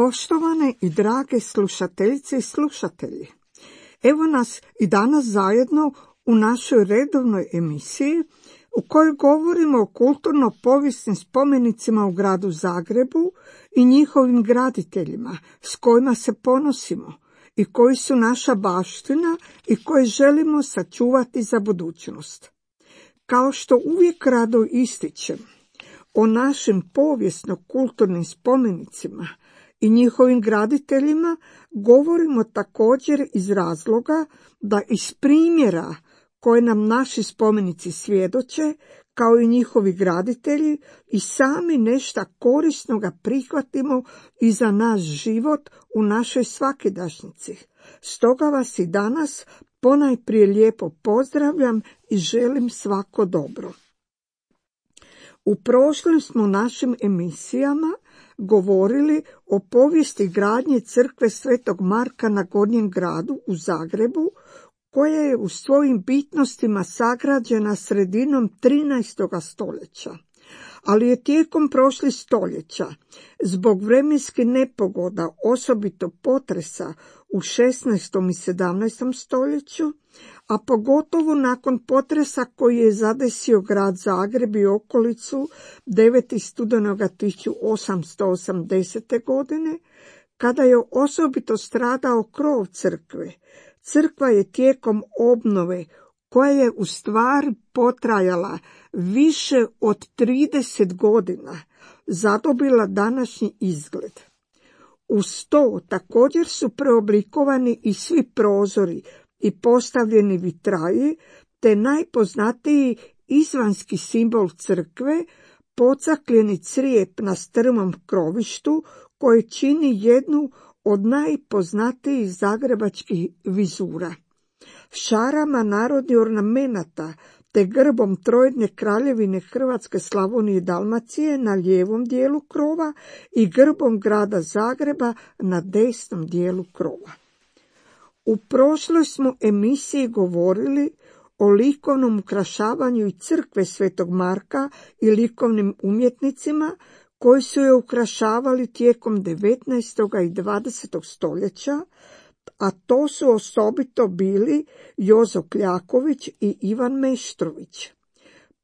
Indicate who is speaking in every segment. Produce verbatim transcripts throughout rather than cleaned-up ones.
Speaker 1: Poštovane i drage slušateljice i slušatelji, evo nas i danas zajedno u našoj redovnoj emisiji u kojoj govorimo o kulturno-povijesnim spomenicima u gradu Zagrebu i njihovim graditeljima s kojima se ponosimo i koji su naša baština i koje želimo sačuvati za budućnost. Kao što uvijek rado ističem, o našim povijesno-kulturnim spomenicima i njihovim graditeljima govorimo također iz razloga da iz primjera koje nam naši spomenici svjedoče, kao i njihovi graditelji, i sami nešto korisnoga prihvatimo i za naš život u našoj svakidašnjici. Stoga vas i danas ponajprije lijepo pozdravljam i želim svako dobro. U prošlim smo našim emisijama govorili o povijesti gradnje crkve Svetog Marka na Gornjem gradu u Zagrebu, koja je u svojim bitnostima sagrađena sredinom trinaestog stoljeća. Ali je tijekom prošlih stoljeća, zbog vremenskih nepogoda, osobito potresa u šesnaestom i sedamnaestom stoljeću, a pogotovo nakon potresa koji je zadesio grad Zagreb i okolicu devetog studenoga tisuću osamsto osamdesete. godine, kada je osobito stradao krov crkve, crkva je tijekom obnove, koja je u stvari potrajala više od trideset godina, zadobila današnji izgled. Uz to također su preoblikovani i svi prozori i postavljeni vitraji, te najpoznatiji izvanjski simbol crkve, pocakljeni crijep na strmom krovištu, koji čini jednu od najpoznatijih zagrebačkih vizura. Šarama narodnih ornamenata te grbom trojedne kraljevine Hrvatske, Slavonije i Dalmacije na lijevom dijelu krova i grbom grada Zagreba na desnom dijelu krova. U prošloj smo emisiji govorili o likovnom ukrašavanju i crkve Svetog Marka i likovnim umjetnicima koji su je ukrašavali tijekom devetnaestog i dvadesetog stoljeća, a to su osobito bili Jozo Kljaković i Ivan Meštrović.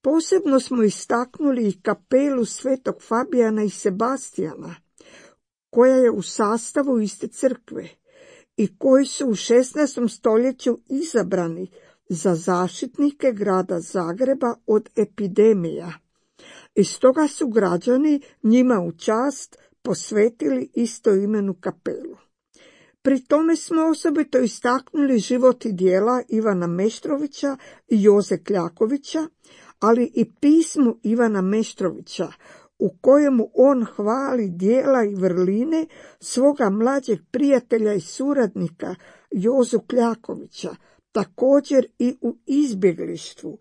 Speaker 1: Posebno smo istaknuli i kapelu Svetog Fabijana i Sebastijana, koja je u sastavu iste crkve i koji su u šesnaestom stoljeću izabrani za zaštitnike grada Zagreba od epidemija. I stoga su građani njima u čast posvetili istoimenu kapelu. Pri tome smo osobito istaknuli život i djela Ivana Meštrovića i Joze Kljakovića, ali i pismu Ivana Meštrovića, u kojemu on hvali djela i vrline svoga mlađeg prijatelja i suradnika Jozu Kljakovića, također i u izbjeglištvu,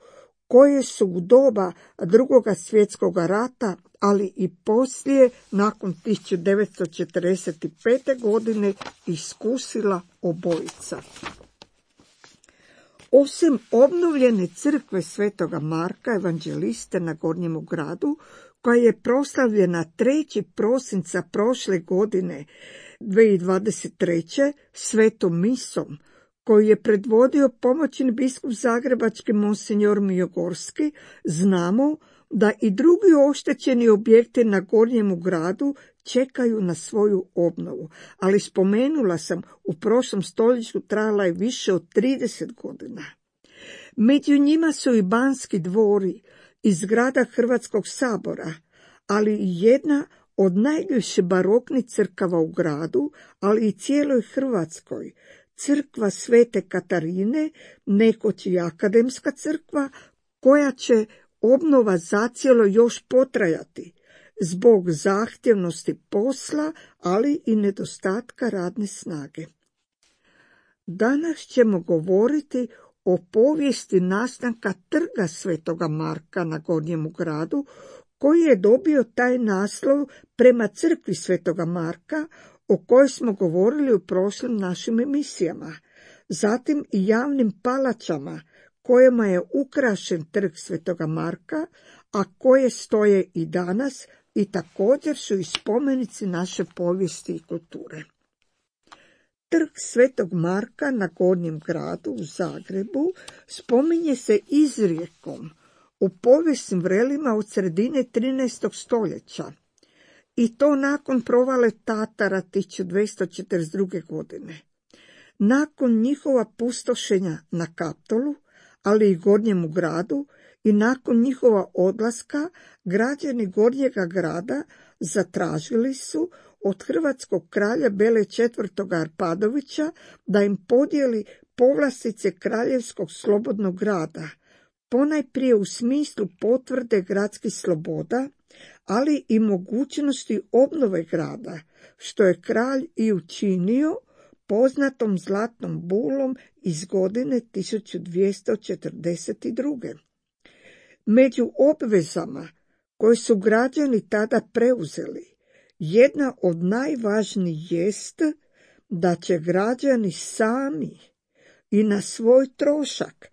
Speaker 1: koje su u doba Drugoga svjetskog rata, ali i poslije, nakon tisuću devetsto četrdeset pete. godine, iskusila obojica. Osim obnovljene crkve Svetoga Marka Evanđeliste na Gornjemu gradu, koja je proslavljena trećeg prosinca prošle godine dvije tisuće dvadeset treće. svetom misom, koju je predvodio pomoćni biskup zagrebački monsinjor Mijogorski, znamo da i drugi oštećeni objekti na Gornjemu gradu čekaju na svoju obnovu, ali spomenula sam, u prošlom stoljeću trajala je više od trideset godina. Među njima su i Banski dvori i zgrada Hrvatskog sabora, ali i jedna od najljepših baroknih crkava u gradu, ali i cijeloj Hrvatskoj, crkva Svete Katarine, nekoć i akademska crkva, koja će obnova zacijelo još potrajati zbog zahtjevnosti posla, ali i nedostatka radne snage. Danas ćemo govoriti o povijesti nastanka trga Svetoga Marka na Gornjemu gradu, koji je dobio taj naslov prema crkvi Svetoga Marka, o kojoj smo govorili u prošlim našim emisijama. Zatim i javnim palačama kojima je ukrašen trg Svetoga Marka, a koje stoje i danas i također su i spomenici naše povijesti i kulture. Trg Svetog Marka na Gornjem gradu u Zagrebu spominje se izrijekom u povijesnim vrelima od sredine trinaestog stoljeća i to nakon provale Tatara tisuću dvjesto četrdeset druge. godine. Nakon njihova pustošenja na Kaptolu, ali i Gornjemu gradu, i nakon njihova odlaska, građani Gornjega grada zatražili su od hrvatskog kralja Bele četvrtog. Arpadovića da im podijeli povlastice kraljevskog slobodnog grada, ponajprije u smislu potvrde gradskih sloboda, ali i mogućnosti obnove grada, što je kralj i učinio poznatom zlatnom bulom iz godine tisuću dvjesto četrdeset druge. Među obvezama koje su građani tada preuzeli, jedna od najvažnijih jest da će građani sami i na svoj trošak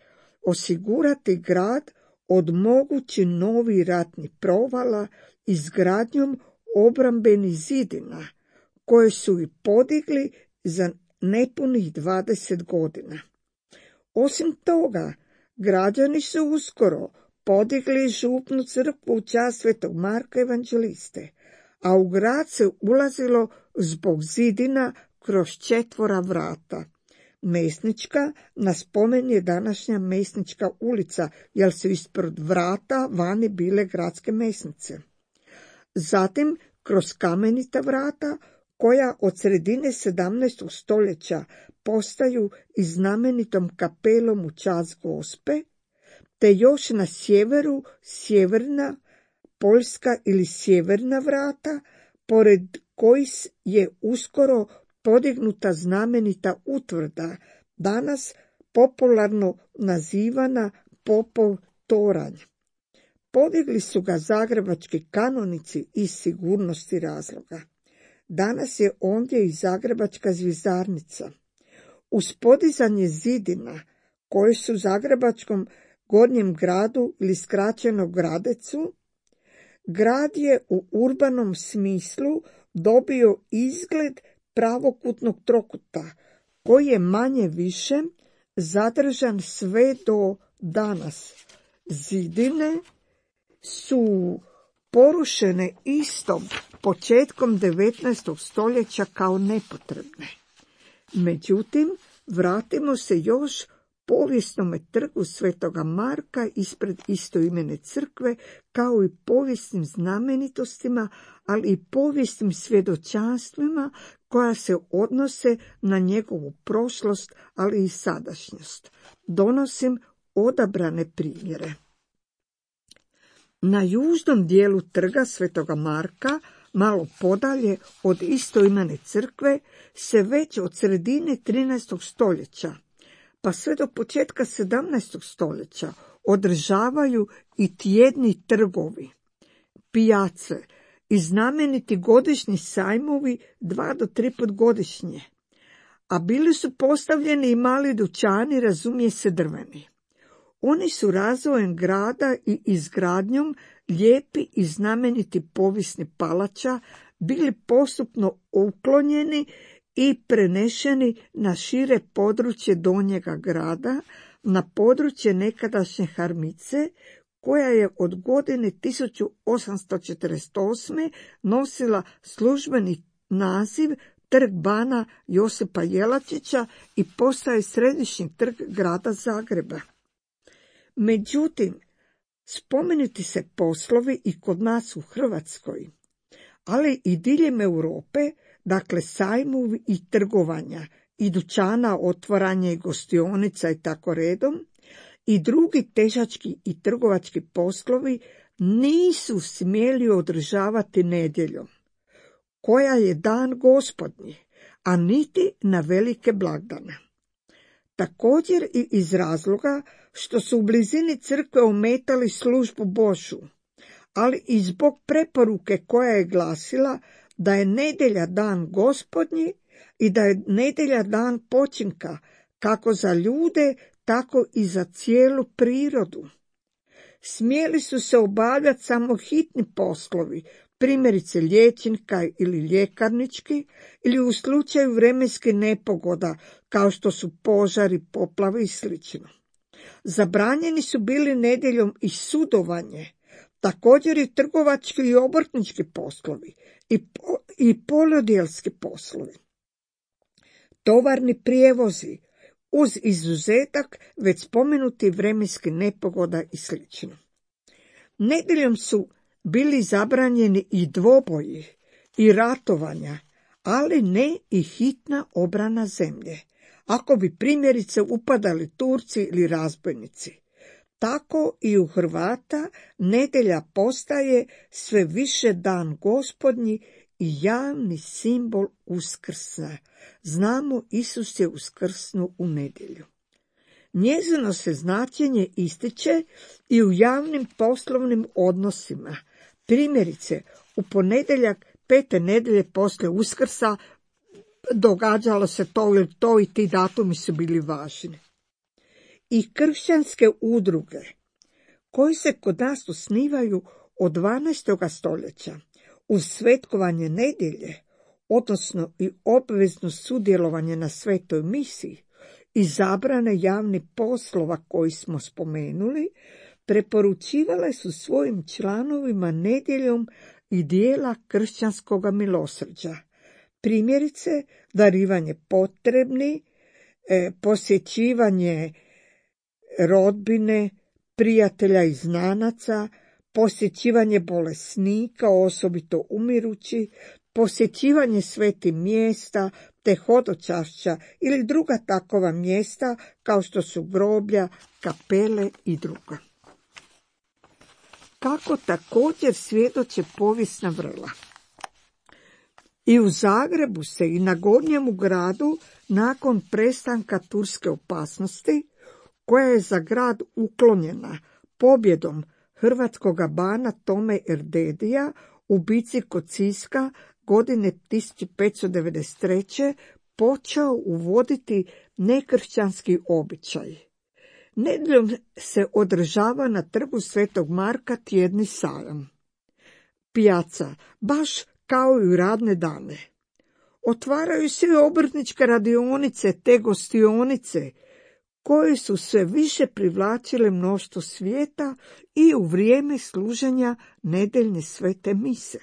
Speaker 1: osigurati grad od mogući novi ratni provala izgradnjom obrambenih zidina, koje su i podigli za nepunih dvadeset godina. Osim toga, građani su uskoro podigli župnu crkvu u čast Svetog Marka Evanđeliste, a u grad se ulazilo zbog zidina kroz četvora vrata. Mesnička, na spomen je današnja Mesnička ulica, jer su ispred vrata vani bile gradske mesnice. Zatim, kroz kamenita vrata, koja od sredine sedamnaestog stoljeća postaju i znamenitom kapelom u čast Gospe, te još na sjeveru sjeverna Poljska ili sjeverna vrata, pored kojih je uskoro podignuta znamenita utvrda, danas popularno nazivana Popov toranj. Podigli su ga zagrebački kanonici iz sigurnosti razloga. Danas je ondje i zagrebačka zvjezdarnica. Uz podizanje zidina, koje su u zagrebačkom Gornjem gradu ili skraćeno Gradecu, grad je u urbanom smislu dobio izgled pravokutnog trokuta, koji je manje više zadržan sve do danas. Zidine su porušene istom početkom devetnaestog stoljeća kao nepotrebne. Međutim, vratimo se još povijesnome trgu Svetoga Marka ispred istoimene crkve, kao i povijesnim znamenitostima, ali i povijesnim svjedočanstvima koja se odnose na njegovu prošlost, ali i sadašnjost. Donosim odabrane primjere. Na južnom dijelu trga Svetoga Marka, malo podalje od istoimene crkve, se već od sredine trinaestog stoljeća pa sve do početka sedamnaestog stoljeća održavaju i tjedni trgovi, pijace i znameniti godišnji sajmovi dva do tri put godišnje, a bili su postavljeni i mali dućani, razumije se drveni. Oni su razvojem grada i izgradnjom lijepi i znameniti povijesni palača bili postupno uklonjeni i prenešeni na šire područje Donjega grada, na područje nekadašnje Harmice, koja je od godine tisuću osamsto četrdeset osme nosila službeni naziv Trg bana Josipa Jelačića i postaje središnji trg grada Zagreba. Međutim, spomenuti se poslovi i kod nas u Hrvatskoj, ali i diljem Europe, dakle sajmovi i trgovanja, i dućana, otvaranja i gostionica i tako redom, i drugi težački i trgovački poslovi nisu smjeli održavati nedjeljom, koja je dan Gospodnji, a niti na velike blagdane. Također i iz razloga što su u blizini crkve ometali službu Božju, ali i zbog preporuke koja je glasila da je nedjelja dan Gospodnji i da je nedjelja dan počinka, kako za ljude, tako i za cijelu prirodu. Smjeli su se obavljati samo hitni poslovi, primjerice liječnika ili ljekarnički, ili u slučaju vremenskih nepogoda, kao što su požari, poplave i sl. Zabranjeni su bili nedjeljom i sudovanje, također i trgovački i obrtnički poslovi i, po, i poljodelski poslovi. Tovarni prijevozi, uz izuzetak već spomenuti vremenskih nepogoda i sl. Nedjeljom su bili zabranjeni i dvoboji i ratovanja, ali ne i hitna obrana zemlje, ako bi primjerice upadali Turci ili razbojnici. Tako i u Hrvata nedjelja postaje sve više dan Gospodnji i javni simbol Uskrsa. Znamo, Isus je uskrsnuo u nedjelju. Njezino se značenje ističe i u javnim poslovnim odnosima. Primjerice, u ponedjeljak pete nedjelje poslije Uskrsa događalo se to ili to i ti datumi su bili važni. I kršćanske udruge, koji se kod nas osnivaju od dvanaestog stoljeća, uz svetkovanje nedjelje, odnosno i obvezno sudjelovanje na svetoj misiji i zabrane javnih poslova koji smo spomenuli, preporučivale su svojim članovima nedjeljom i dijela kršćanskoga milosrđa. Primjerice, darivanje potrebni, e, posjećivanje rodbine, prijatelja i znanaca, posjećivanje bolesnika, osobito umirući, posjećivanje svetih mjesta, te hodočašća ili druga takova mjesta kao što su groblja, kapele i druga. Kako također svjedoče povijesna vrla. I u Zagrebu se i na Gornjemu gradu, nakon prestanka turske opasnosti, koja je za grad uklonjena pobjedom hrvatskoga bana Tome Erdedija u bici kod Siska godine tisuću petsto devedeset treće počeo uvoditi nekršćanski običaj. Nedjeljom se održava na trgu Svetog Marka tjedni sajam. Pijaca, baš kao i u radne dane. Otvaraju se i obrtničke radionice te gostionice, koje su sve više privlačile mnoštvo svijeta i u vrijeme služenja nedjeljne svete mise.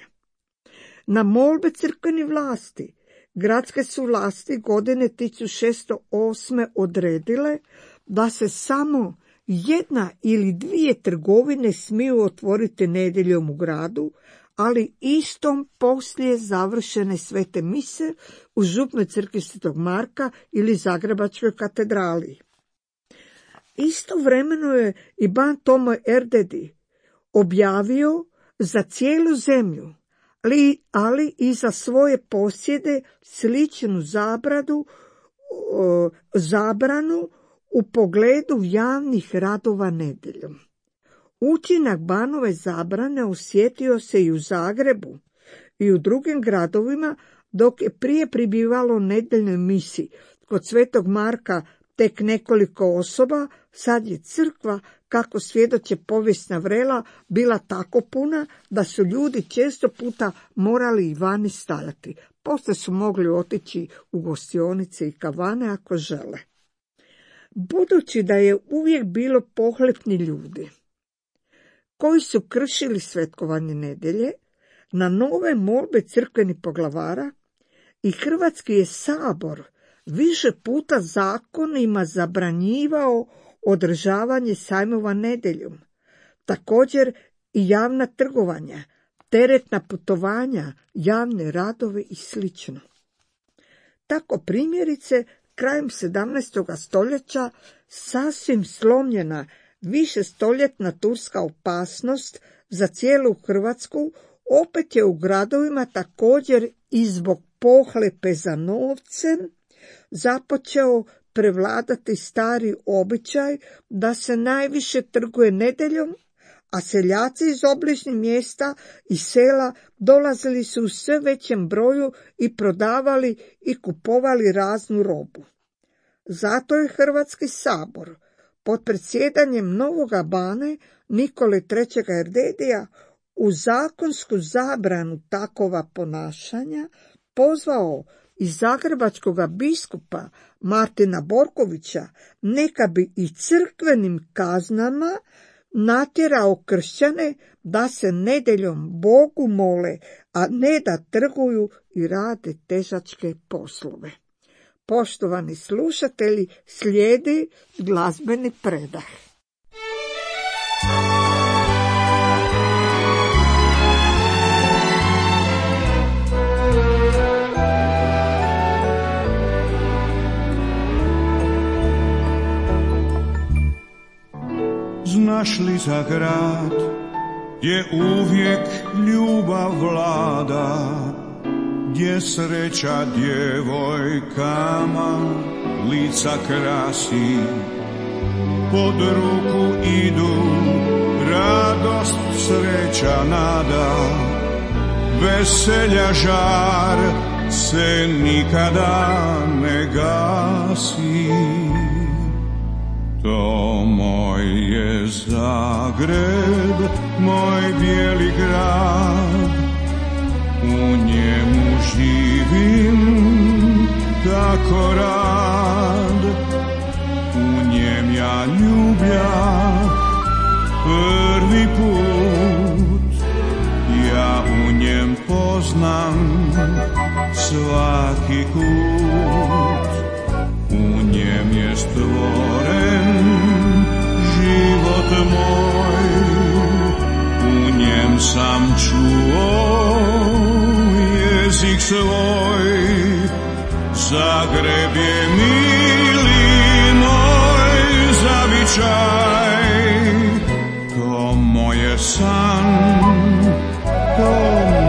Speaker 1: Na molbe crkvenih vlasti, gradske su vlasti godine tisuću šesto osme odredile da se samo jedna ili dvije trgovine smiju otvoriti nedjeljom u gradu, ali istom poslije završene svete mise u župnoj crkvi Svetog Marka ili Zagrebačkoj katedrali. Istovremeno je i ban Tomo Erdedi objavio za cijelu zemlju, ali, ali i za svoje posjede sličnu zabradu, o, zabranu u pogledu javnih radova nedjeljom. Učinak banove zabrane osjetio se i u Zagrebu i u drugim gradovima, dok je prije pribivalo nedjeljnoj misi kod Svetog Marka tek nekoliko osoba, sad je crkva, kako svjedoče povijesna vrela, bila tako puna da su ljudi često puta morali i vani stajati. Poslije su mogli otići u gostionice i kavane ako žele. Budući da je uvijek bilo pohlepni ljudi koji su kršili svetkovanje nedjelje, na nove molbe crkvenih poglavara i Hrvatski je sabor više puta zakonima zabranjivao održavanje sajmova nedjeljom, također i javna trgovanja, teretna putovanja, javne radove i sl. Tako primjerice, krajem sedamnaestog stoljeća sasvim slomljena višestoljetna turska opasnost za cijelu Hrvatsku opet je u gradovima također i zbog pohlepe za novcem započeo prevladati stari običaj da se najviše trguje nedjeljom, a seljaci iz obližnjih mjesta i sela dolazili su u sve većem broju i prodavali i kupovali raznu robu. Zato je Hrvatski sabor pod predsjedanjem novoga bane Nikole trećeg Erdedija u zakonsku zabranu takova ponašanja pozvao i zagrebačkog biskupa Martina Borkovića, neka bi i crkvenim kaznama natjerao kršćane da se nedjeljom Bogu mole, a ne da trguju i rade težačke poslove. Poštovani slušatelji, slijedi glazbeni predah.
Speaker 2: Znaš li za grad gdje uvijek ljubav vlada, gdje sreća djevojkama lica krasi, pod ruku idu radost, sreća, nada, veselja žar se nikada ne gasi. To moj je Zagreb, moj bijeli grad, u njemu živim tako rad, u njem ja ljubljah prvi put, ja u njem poznam svaki kut, u njem je stvoren život moj, u njem sam čuo jezik svoj. Zagreb je mili moj zavičaj, to moje san, to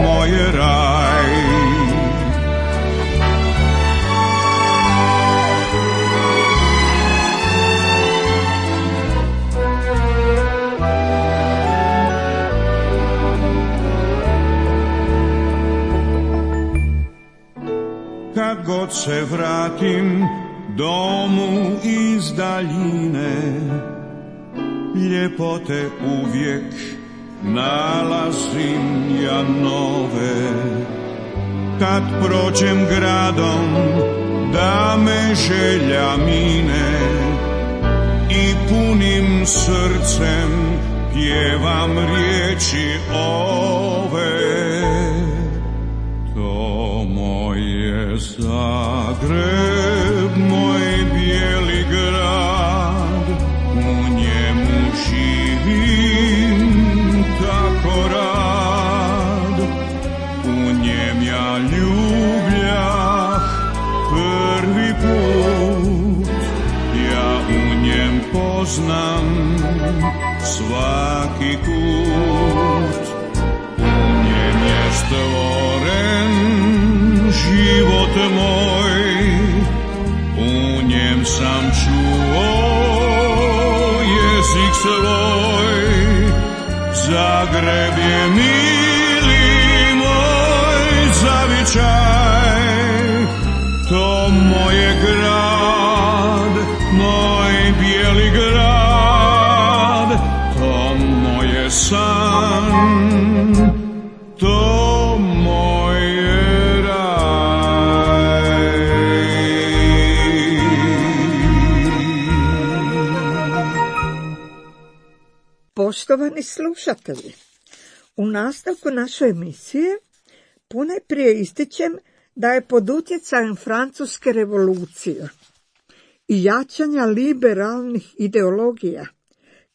Speaker 2: moje raj. Kad god se vratim domu iz daljine, ljepote uvijek nalazim ja nove. Kad prođem gradom da me želja mine i punim srcem pjevam riječi ove. To moj je Zagreb, moj bijeli grad, u njemu živim tako rad, u njem ja ljubljah prvi put, ja u njem poznam svaki kut, u njem je stvoren život moj, u njem sam čuo jezik svoj. Zagreb je mili moj zavičaj, to moje grad, moj bijeli grad, to moje san, to moje raj.
Speaker 1: Poštovani slušatelji, u nastavku naše emisije ponajprije ističem da je pod utjecajem Francuske revolucije i jačanja liberalnih ideologija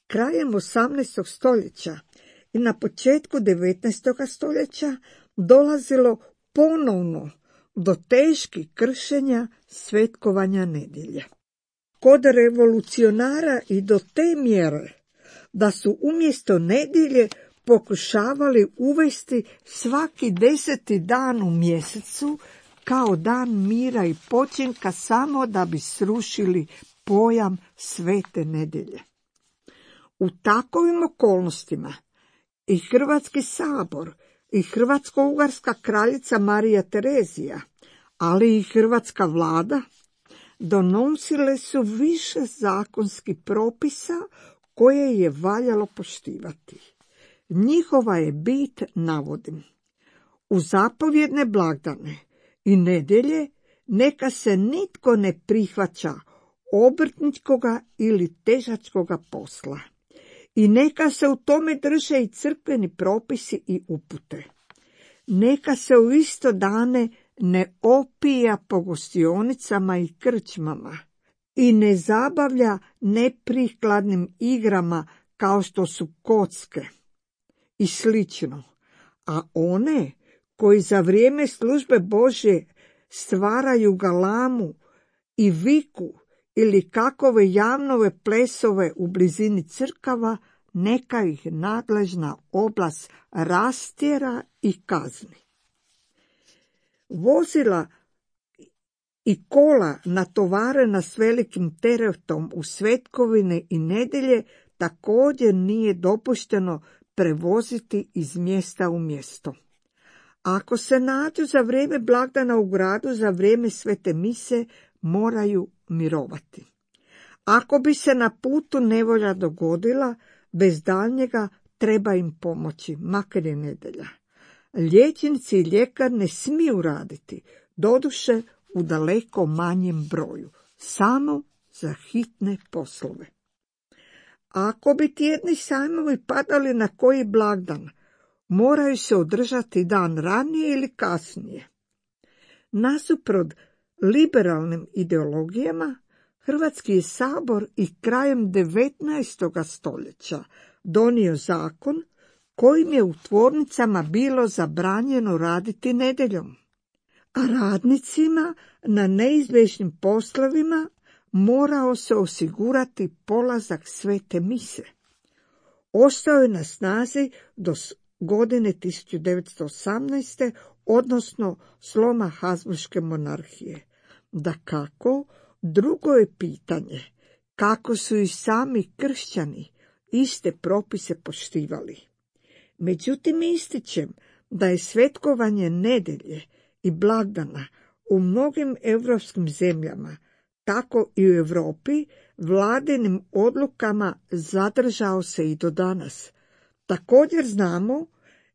Speaker 1: krajem osamnaestog stoljeća i na početku devetnaestog stoljeća dolazilo ponovno do teških kršenja svetkovanja nedjelje. Kod revolucionara i do te mjere da su umjesto nedjelje pokušavali uvesti svaki deseti dan u mjesecu kao dan mira i počinka, samo da bi srušili pojam svete nedjelje. U takovim okolnostima i Hrvatski sabor i Hrvatsko-ugarska kraljica Marija Terezija, ali i hrvatska vlada donosile su više zakonskih propisa koje je valjalo poštivati. njihova je bit, navodim. U zapovjedne blagdane i nedjelje neka se nitko ne prihvaća obrtničkoga ili težačkoga posla. I neka se u tome drže i crkveni propisi i upute. Neka se u isto dane ne opija po gostionicama i krčmama i ne zabavlja neprikladnim igrama kao što su kocke i slično. A one koji za vrijeme službe Božje stvaraju galamu i viku ili kakove javnove plesove u blizini crkava, neka ih nadležna oblast rastjera i kazni. Vozila i kola natovarena s velikim teretom u svetkovine i nedjelje također nije dopušteno prevoziti iz mjesta u mjesto. Ako se nađu za vrijeme blagdana u gradu, za vrijeme svete mise, moraju mirovati. Ako bi se na putu nevolja dogodila, bez daljnjega treba im pomoći, makar je nedjelja. Liječnici i ljekar ne smiju raditi, doduše u daleko manjem broju, samo za hitne poslove. Ako bi tjedni sajmovi padali na koji blagdan, moraju se održati dan ranije ili kasnije. Nasuprot liberalnim ideologijama, Hrvatski je sabor i krajem devetnaestog stoljeća donio zakon kojim je u tvornicama bilo zabranjeno raditi nedjeljom, a radnicima na neizbježnim poslovima morao se osigurati polazak svete mise. Ostao je na snazi do godine tisuću devetsto osamnaeste. odnosno sloma Habsburške monarhije. Dakako, drugo je pitanje kako su i sami kršćani iste propise poštivali. Međutim, ističem da je svetkovanje nedjelje i blagdana u mnogim europskim zemljama, tako i u Europi, vladinim odlukama zadržao se i do danas. Također znamo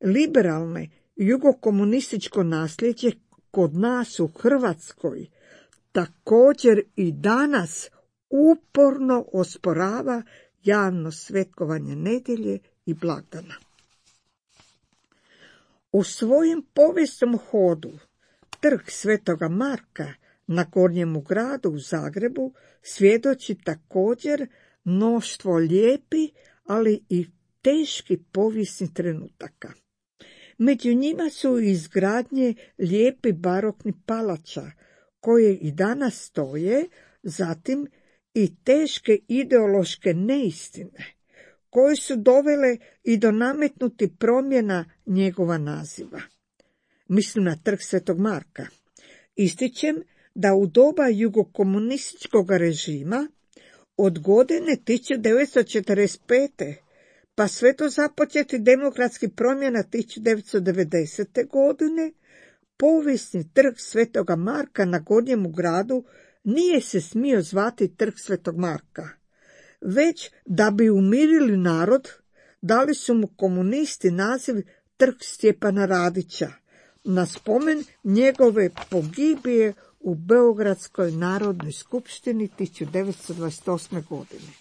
Speaker 1: liberalne jugokomunističko nasljeđe kod nas u Hrvatskoj također i danas uporno osporava javno svetkovanje nedjelje i blagdana. U svojem povijesnom hodu trg Svetoga Marka na Gornjemu gradu u Zagrebu svjedoči također mnoštvo lijepi, ali i teški povijesni trenutaka. Među njima su izgradnje lijepi barokni palača, koje i danas stoje, zatim i teške ideološke neistine, koje su dovele i do nametnuti promjena njegova naziva. Mislim na trg Svetog Marka. Ističem da u doba jugokomunističkog režima od godine tisuću devetsto četrdeset pete pa sve do započeti demokratskih promjena tisuću devetsto devedesete. godine, povijesni trg Svetoga Marka na Gornjemu gradu nije se smio zvati trg Svetog Marka, već da bi umirili narod, dali su mu komunisti naziv trg Stjepana Radića, na spomen njegove pogibije u Beogradskoj narodnoj skupštini tisuću devetsto dvadeset osme. godine.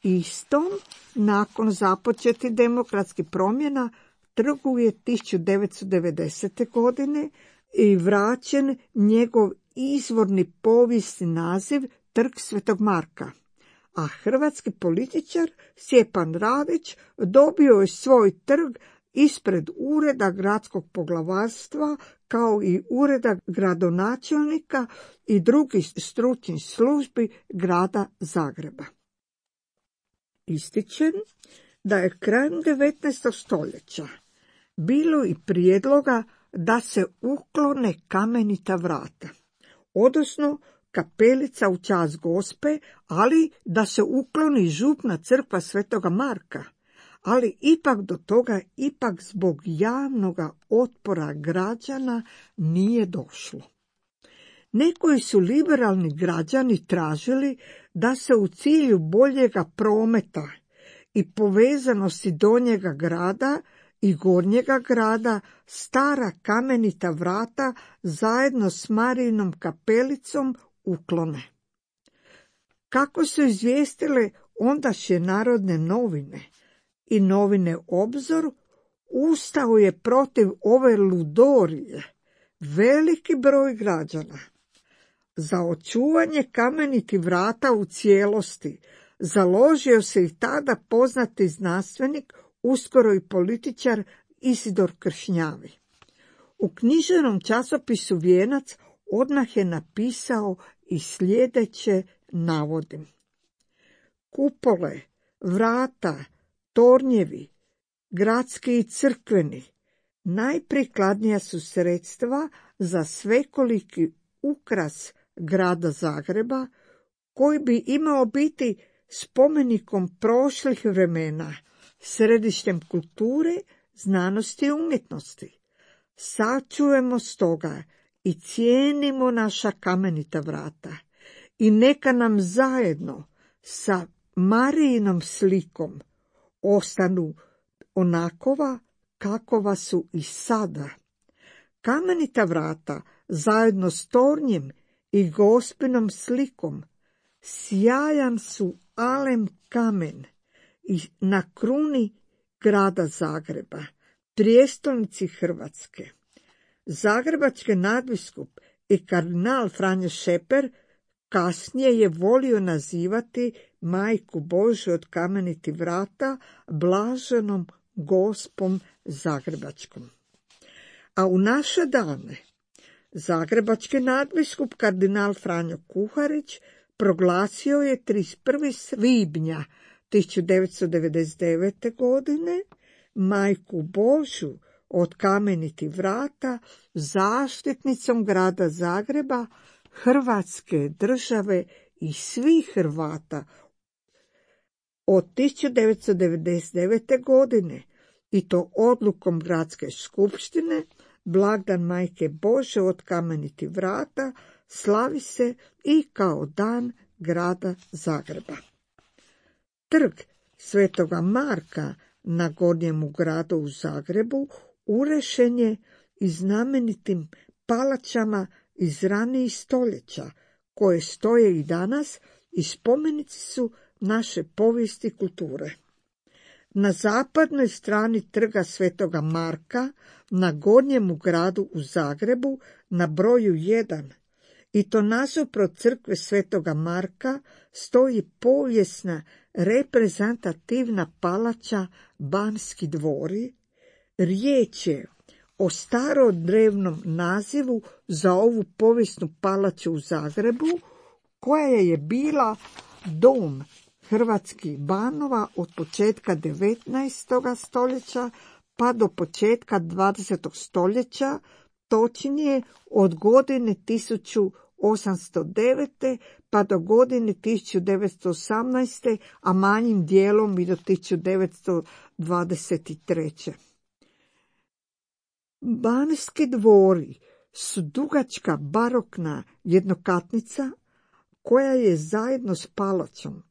Speaker 1: Istom, nakon započeti demokratskih promjena, trgu je tisuću devetsto devedesete. godine i vraćen njegov izvorni povijesni naziv trg Svetog Marka, a hrvatski političar Stjepan Radić dobio je svoj trg ispred ureda gradskog poglavarstva, kao i ureda gradonačelnika i drugih stručnih službi grada Zagreba. Ističem da je krajem devetnaestog. stoljeća bilo i prijedloga da se uklone kamenita vrata, odnosno kapelica u čast Gospe, ali da se ukloni župna crkva Svetoga Marka, ali ipak do toga, ipak zbog javnoga otpora građana nije došlo. Nekoji su liberalni građani tražili da se u cilju boljega prometa i povezanosti donjega grada i gornjega grada stara kamenita vrata zajedno s Marijinom kapelicom uklone. Kako su izvijestile ondašnje narodne novine i novine Obzor, ustao je protiv ove ludorije veliki broj građana. Za očuvanje kamenitih vrata u cijelosti založio se i tada poznati znanstvenik, uskoro i političar Isidor Kršnjavi. U književnom časopisu Vijenac odmah je napisao i sljedeće, navodim: kupole, vrata, tornjevi, gradski i crkveni, najprikladnija su sredstva za svekoliki ukras grada Zagreba, koji bi imao biti spomenikom prošlih vremena, središtem kulture, znanosti i umjetnosti. Sačuvajmo stoga i cijenimo naša kamenita vrata i neka nam zajedno sa Marijinom slikom ostanu onakova kakova su i sada. Kamenita vrata zajedno s tornjem i Gospinom slikom sjajan su alem kamen i na kruni grada Zagreba, prijestolnici Hrvatske. Zagrebački nadbiskup i kardinal Franjo Šeper kasnije je volio nazivati Majku Božju od kamenitih vrata blaženom Gospom Zagrebačkom. A u naše dane zagrebački nadbiskup kardinal Franjo Kuharić proglasio je trideset prvog svibnja tisuću devetsto devedeset devete. godine Majku Božju od kamenitih vrata zaštitnicom grada Zagreba, Hrvatske države i svih Hrvata od tisuću devetsto devedeset devete. godine, i to odlukom gradske skupštine. Blagdan Majke Božje od kamenitih vrata slavi se i kao dan grada Zagreba. Trg Svetoga Marka na Gornjemu gradu u Zagrebu urešen je i znamenitim palačama iz ranijih stoljeća, koje stoje i danas i spomenici su naše povijesti i kulture. Na zapadnoj strani trga Svetoga Marka na Gornjemu gradu u Zagrebu na broju jedan, i to nasuprot crkve Svetoga Marka, stoji povijesna reprezentativna palača Banski dvori. Riječ je o starodrevnom nazivu za ovu povijesnu palaču u Zagrebu, koja je bila dom hrvatskih banova od početka devetnaestog stoljeća pa do početka dvadesetog stoljeća, točnije od godine tisuću osamsto devete. pa do godine tisuću devetsto osamnaeste. a manjim dijelom i do tisuću devetsto dvadeset treće. Banski dvori su dugačka barokna jednokatnica koja je zajedno s palačom,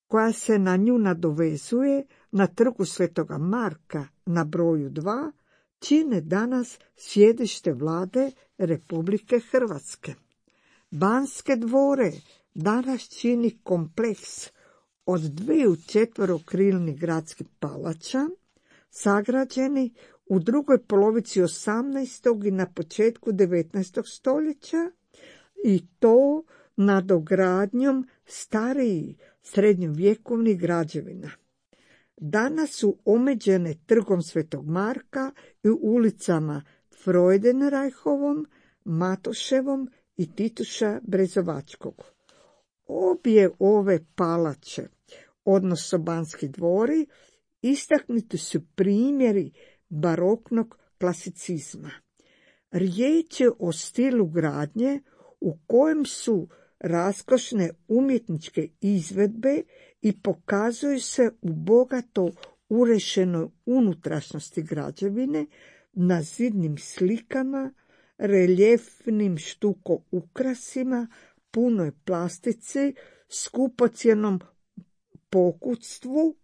Speaker 1: koja se na nju nadovezuje na trgu Svetoga Marka na broju dva, čine danas sjedište vlade Republike Hrvatske. Banske dvore danas čini kompleks od dviju četverokrilnih gradskih palača, sagrađeni u drugoj polovici osamnaestog i na početku devetnaestog stoljeća, i to nadogradnjom starijih srednjovjekovnih građevina. Danas su omeđene trgom Svetog Marka i ulicama Freudenreichovom, Matoševom i Tituša Brezovačkog. Obje ove palače, odnosno Banski dvori, istaknuti su primjeri baroknog klasicizma. Riječ je o stilu gradnje u kojem su raskošne umjetničke izvedbe i pokazuju se u bogato urešenoj unutrašnjosti građevine, na zidnim slikama, reljefnim štuko ukrasima, punoj plastici, skupocjenom pokutstvu,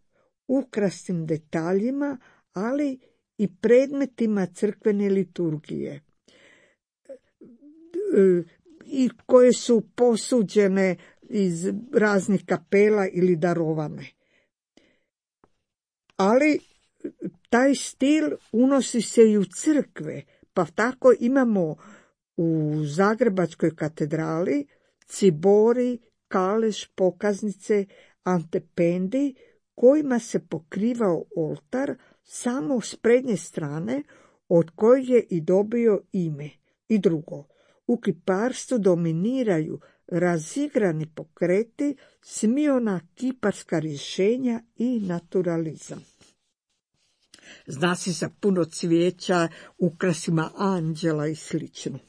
Speaker 1: ukrasnim detaljima, ali i predmetima crkvene liturgije i koje su posuđene iz raznih kapela ili darovane. Ali taj stil unosi se i u crkve, pa tako imamo u Zagrebačkoj katedrali cibori, kaleš, pokaznice, antependi kojima se pokrivao oltar samo s prednje strane od kojeg je i dobio ime. I drugo, u kiparstvu dominiraju razigrani pokreti, smiona kiparska rješenja i naturalizam. Zna se za puno cvijeća, ukrasima anđela i slično.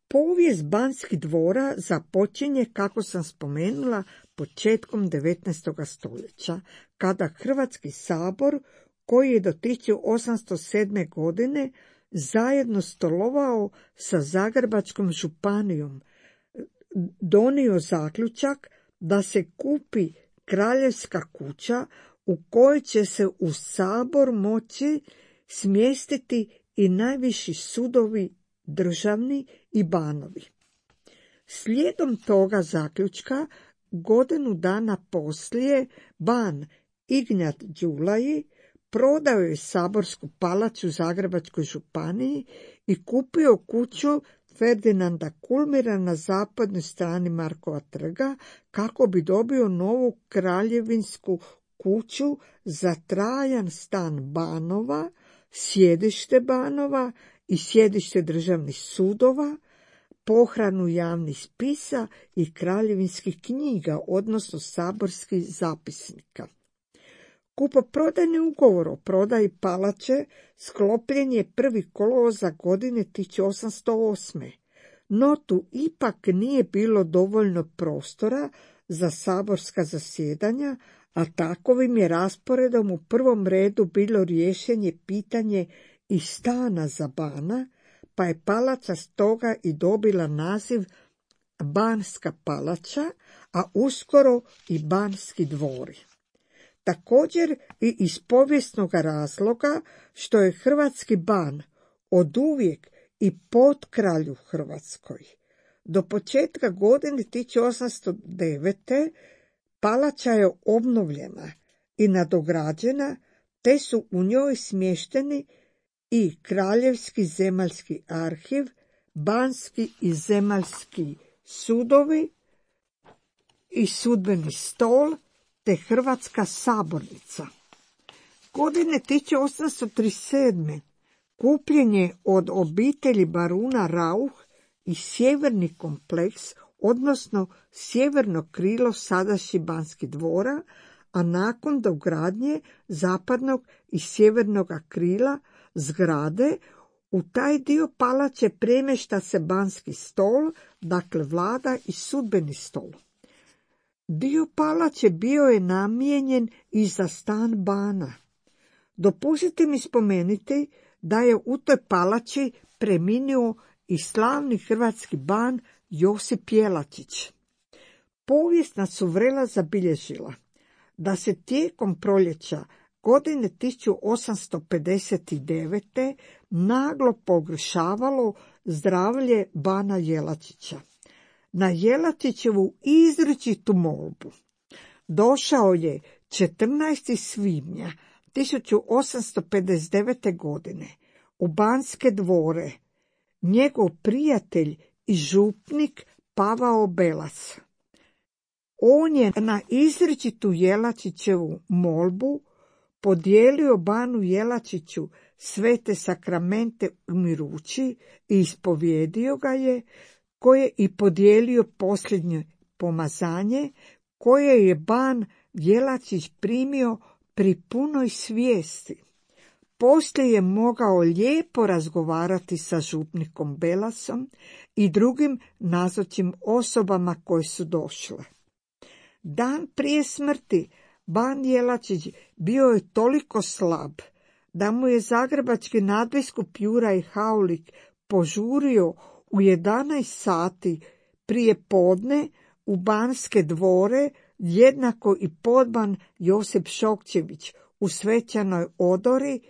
Speaker 1: Povijest Banskih dvora započinje, kako sam spomenula, početkom devetnaestog stoljeća, kada Hrvatski sabor, koji je do tisuću osamsto sedme. godine zajedno stolovao sa Zagrebačkom županijom, donio zaključak da se kupi kraljevska kuća u kojoj će se u sabor moći smjestiti i najviši sudovi državni i banovi. Slijedom toga zaključka, godinu dana poslije, ban Ignjat Đulaji prodao je saborsku palaču u Zagrebačkoj županiji i kupio kuću Ferdinanda Kulmira na zapadnoj strani Markova trga kako bi dobio novu kraljevinsku kuću za trajan stan banova, sjedište banova i sjedište državnih sudova, pohranu javnih spisa i kraljevinskih knjiga, odnosno saborskih zapisnika. Kupoprodajni ugovor o prodaji palače sklopljen je prvi kolovoza godine tisuću osamsto osme. No tu ipak nije bilo dovoljno prostora za saborska zasjedanja, a takovim je rasporedom u prvom redu bilo rješenje pitanje i stana za bana, pa je palača stoga i dobila naziv Banska palača, a uskoro i Banski dvori. Također i iz povijesnog razloga što je hrvatski ban oduvijek i potkralj u Hrvatskoj. Do početka godine tisuću osamsto devete. palača je obnovljena i nadograđena, te su u njoj smješteni i Kraljevski zemaljski arhiv, Banski i zemaljski sudovi i sudbeni stol, te Hrvatska sabornica. Godine tisuću osamsto trideset sedme. kupljen je od obitelji baruna Rauh i sjeverni kompleks, odnosno sjeverno krilo sadašnjih Banskih dvora, a nakon dogradnje zapadnog i sjevernog krila zgrade u taj dio palače premješta se Banski stol, dakle vlada i sudbeni stol. Dio palače bio je namijenjen i za stan bana. Dopustite mi spomenuti da je u toj palači preminuo i slavni hrvatski ban Josip Jelačić. Povijest nas uvrela zabilježila da se tijekom proljeća godine tisuću osamsto pedeset devete. naglo pogoršavalo zdravlje bana Jelačića. Na Jelačićevu izričitu molbu došao je četrnaestog svibnja tisuću osamsto pedeset devete. godine u Banske dvore njegov prijatelj i župnik Pavao Belac. On je na izričitu Jelačićevu molbu podijelio banu Jelačiću svete sakramente umirući i ispovjedio ga je, koje i podijelio posljednje pomazanje, koje je ban Jelačić primio pri punoj svijesti. Poslije je mogao lijepo razgovarati sa župnikom Belacom i drugim nazočnim osobama koje su došle. Dan prije smrti ban Jelačić bio je toliko slab da mu je zagrebački nadbiskup Juraj Haulik požurio u jedanaest sati prije podne u Banske dvore jednako i podban Josip Šokčević u svečanoj odori,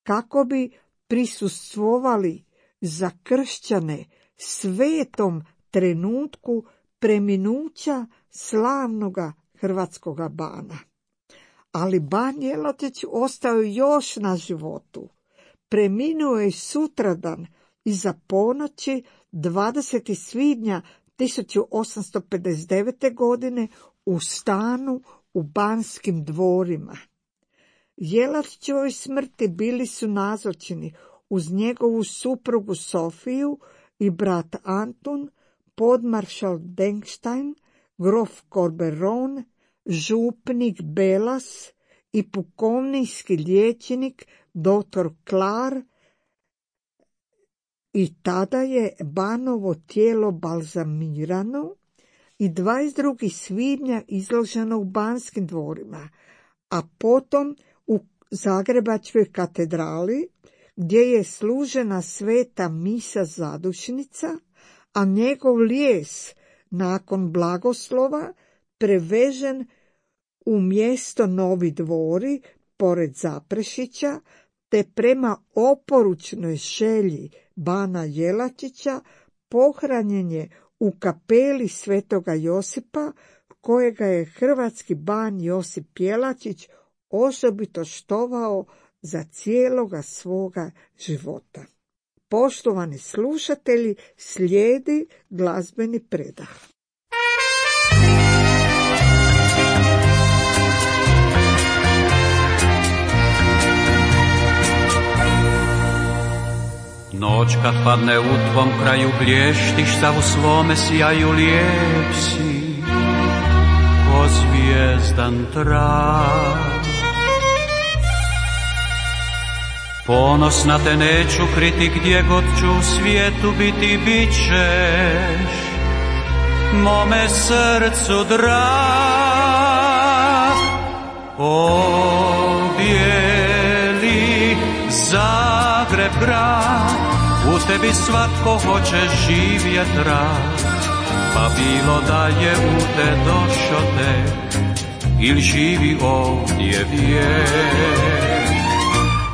Speaker 1: kako bi prisustvovali za kršćane svetom trenutku preminuća slavnoga hrvatskoga bana. Ali ban Jelačić ostao još na životu. Preminuo je sutradan iza ponoći dvadesetog svibnja tisuću osamsto pedeset devete. godine u stanu u Banskim dvorima. Jelačićevoj smrti bili su nazočni uz njegovu suprugu Sofiju i brat Antun, podmaršal Denkstein, grof Corberon, župnik Belas i pukovnijski liječnik doktor Klar, i tada je Banovo tijelo balzamirano i dvadeset drugog svibnja izloženo u Banskim dvorima, a potom u Zagrebačkoj katedrali, gdje je služena sveta misa zadušnica, a njegov lijes nakon blagoslova prevežen u mjesto Novi Dvori pored Zaprešića, te prema oporučnoj želji bana Jelačića pohranjen je u kapeli Svetoga Josipa, kojega je hrvatski ban Josip Jelačić osobito štovao za cijeloga svoga života. Poštovani slušatelji, slijedi glazbeni predah.
Speaker 3: Noć kad padne u tvom kraju blještiš, sa u svome sjaju lijep si, ko zvijezdan trak. Ponosna te neću kriti, gdje god ću u svijetu biti, bit ćeš mome srcu drag. O bijeli Zagreb grad, u tebi svatko hoće živjet rad, pa bilo da je u te došo te, ili živi ovdje vijek.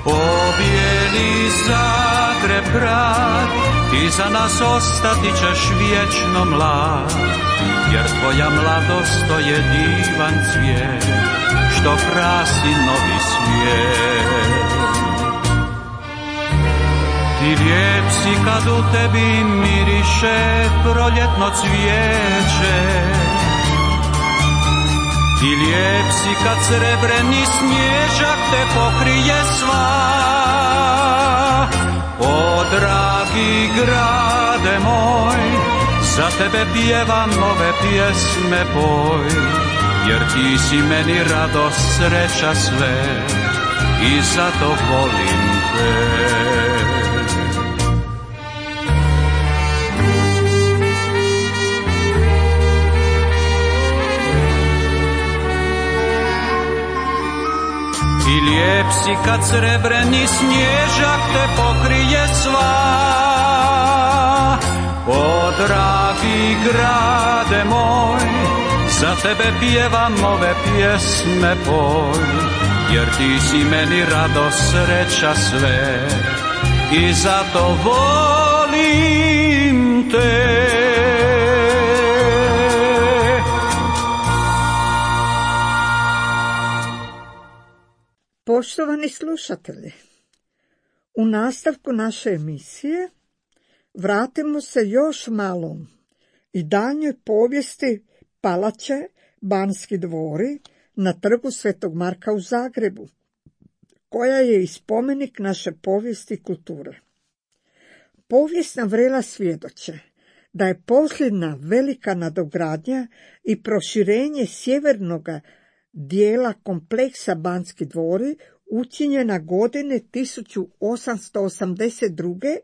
Speaker 3: O bijeli Zagreb grad, ti za nas ostati ćeš vječno mlad, jer tvoja mladost to je divan cvijet, što krasi novi svijet. Ti lijep si kad u tebi miriše proljetno cvijeće, ti lijep si kad srebreni snježak te pokrije sva. O dragi grade moj, za tebe pjevam ove pjesme poj, jer ti si meni radost, sreća sve i zato volim te. I lijep si kad srebreni snježak te pokrije sva. O dragi grade moj, za tebe pjevam ove pjesme poj, jer ti si meni radost, sreća sve i zato volim te.
Speaker 1: Poštovani slušatelji, u nastavku naše emisije vratimo se još malo i daljnjoj povijesti palače Banski dvori na trgu Svetog Marka u Zagrebu, koja je i spomenik naše povijesti i kulture. Povijesna vrela svjedoče da je posljedna velika nadogradnja i proširenje sjevernog dijela kompleksa Banski dvori učinjena godine tisuću osamsto osamdeset druge.